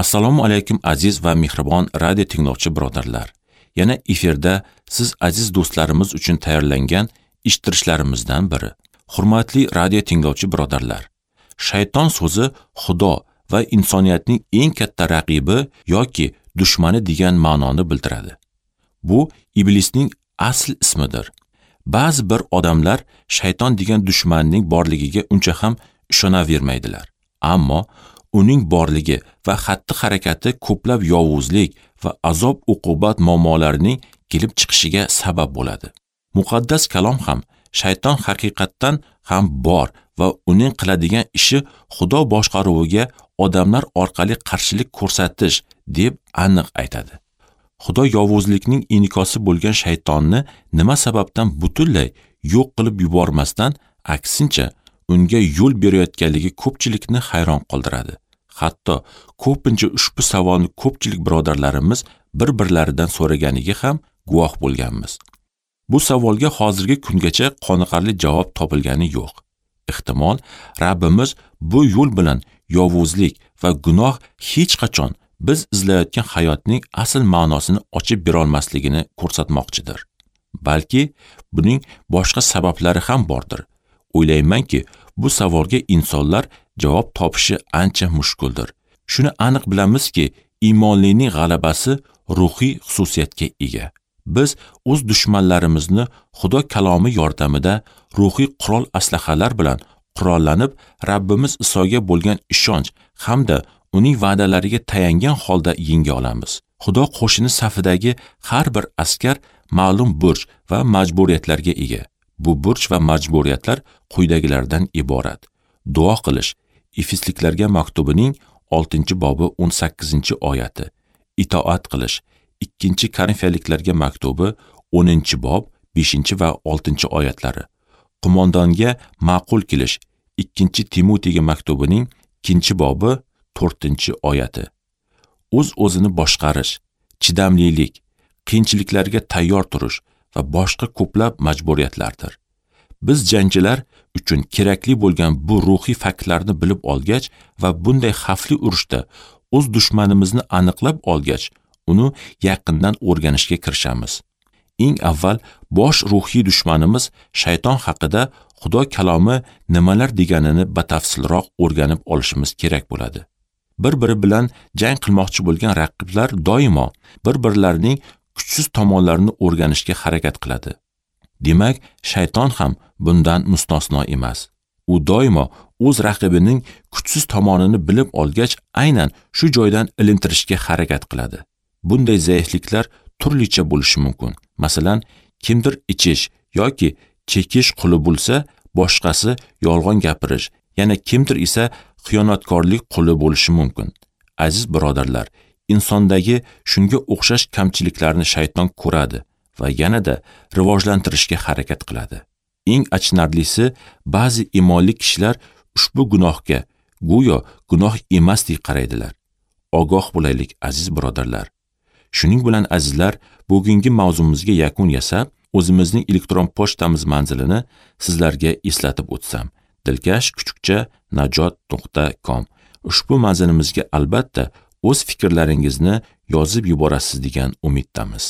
Assalomu alaykum aziz va mehribon radio tinglovchi birodarlar. Yana efirda siz aziz do'stlarimiz uchun tayyorlangan eshittirishlarimizdan biri. Hurmatli radio tinglovchi birodarlar, shayton so'zi Xudo va insoniyatning eng katta raqibi yoki dushmani degan ma'noni bildiradi. Bu iblisning asl ismidir. Ba'zi bir odamlar shayton degan dushmanning borligiga uncha ham ishonavermaydilar. Ammo uning borligi va xatti-harakati ko'plab yovuzlik va azob-uqubat muammolarining kelib chiqishiga sabab bo'ladi. Muqaddas kalom ham shayton haqiqatdan ham bor va uning qiladigan ishi Xudo boshqaruviga odamlar orqali qarshilik ko'rsatish deb aniq aytadi. Xudo yovuzlikning inikosi bo'lgan shaytonni nima sababdan butunlay yo'q qilib yubormasdan, aksincha unga yo'l berayotganligi ko'pchilikni hayron qoldiradi. Hatto ko'pincha ushbu savolni ko'pchilik birodarlarimiz bir-birlaridan so'raganiga ham guvoh bo'lganmiz. Bu savolga hozirgi kungacha qoniqarli javob topilgani yo'q. Ehtimol, Rabbimiz bu yo'l bilan yovuzlik va gunoh hech qachon biz izlayotgan hayotning asl ma'nosini ochib berolmasligini ko'rsatmoqchidir. Balki buning boshqa sabablari ham bordir. O'ylaymanki, bu savolga insonlar javob topishi ancha mushkuldir. Shuni aniq bilamizki, iymonlining g'alabasi ruhiy xususiyatga ega. Biz o'z dushmanlarimizni Xudo kalomi yordamida ruhiy qurol aslahalar bilan qurollanib, Rabbimiz Isoga bo'lgan ishonch hamda uning va'dalariga tayangan holda yenga olamiz. Xudo qo'shini safidagi har bir askar ma'lum burch va majburiyatlarga ega. Bu burch va majburiyatlar quyidagilardan iborat. Duo qilish, Efesliklarga maktubining 6-bobi 18-oyati. Itoat qilish, 2-Korinfiyaliklarga maktubi 10-bob 5 va 6-oyatlari. Qo'mondonga ma'qul kelish, 2-Timotiyga maktubining 2-bobi 4-oyati. O'z-o'zini boshqarish, chidamlilik, qiyinchiliklarga tayyor turish va boshqa ko'plab majburiyatlardir. Biz jangchilar uchun kerakli bo'lgan bu ruhiy faktlarni bilib olgach va bunday xavfli urushda o'z dushmanimizni aniqlab olgach, uni yaqindan o'rganishga kirishamiz. Eng avval bosh ruhiy dushmanimiz shayton haqida Xudo kalomi nimalar deganini batafsilroq o'rganib olishimiz kerak bo'ladi. Bir-biri bilan jang qilmoqchi bo'lgan raqiblar doimo bir-birlarining kuchsiz tomonlarini o'rganishga harakat qiladi. Demak, shayton ham bundan mustasno emas. U doimo o'z raqibining kuchsiz tomonini bilib olgach, aynan shu joydan ilintirishga harakat qiladi. Bunday zaifliklar turlicha bo'lishi mumkin. Masalan, kimdir ichish yoki chekish quli bo'lsa, boshqasi yolg'on gapirish, yana kimdir esa xiyonatkorlik quli bo'lishi mumkin. Aziz birodarlar, insondagi shunga o'xshash kamchiliklarni shayton ko'radi va yanada rivojlantirishga harakat qiladi. Eng achinarlisi, ba'zi iymonli kishilar ushbu gunohga go'yo gunoh emasdek qaraydilar. Ogoh bo'laylik, aziz birodarlar. Shuning bilan azizlar, bugungi mavzumizga yakun yasab, o'zimizning elektron pochtamiz manzilini sizlarga eslatib o'tsam. dilkash@najot.com. Ushbu manzilimizga albatta o'z fikrlaringizni yozib yuborasiz degan umiddamiz.